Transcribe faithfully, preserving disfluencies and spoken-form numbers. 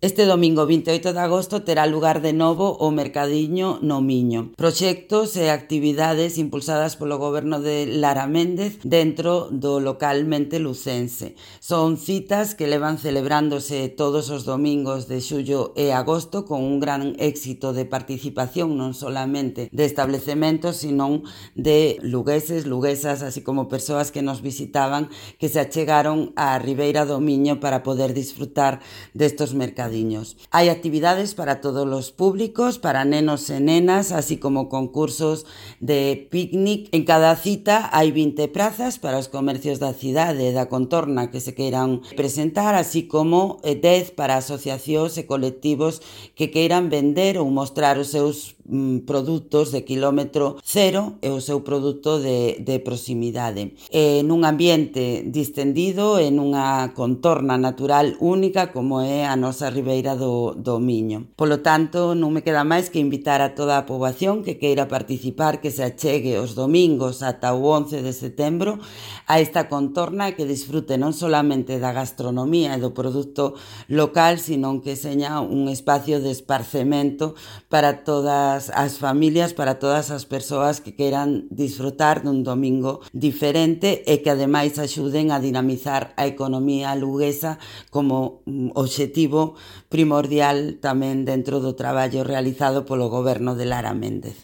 Este domingo vinte e oito de agosto terá lugar de novo o Mercadiño no Miño. Proxectos e actividades impulsadas polo goberno de Lara Méndez dentro do localmente lucense. Son citas que levan celebrándose todos os domingos de xullo e agosto con un gran éxito de participación non solamente de establecementos, sino de lugueses, luguesas, así como persoas que nos visitaban que se achegaron á Ribeira do Miño para poder disfrutar destos mercadiños. Hai actividades para todos os públicos, para nenos e nenas, así como concursos de picnic. En cada cita hai vinte prazas para os comercios da cidade e da contorna que se queiran presentar, así como dez para asociacións e colectivos que queiran vender ou mostrar os seus mm, produtos de quilómetro cero e o seu produto de, de proximidade. E nun ambiente distendido e nunha contorna natural única como é a nosa Ribeira do, do Miño. Polo tanto, non me queda máis que invitar a toda a poboación que queira participar, que se achegue os domingos ata o once de setembro a esta contorna e que disfrute non solamente da gastronomía e do produto local, sino que seña un espacio de esparcemento para todas as familias, para todas as persoas que queiran disfrutar dun domingo diferente e que ademais axuden a dinamizar a economía luguesa como obxectivo primordial tamén dentro do traballo realizado polo goberno de Lara Méndez.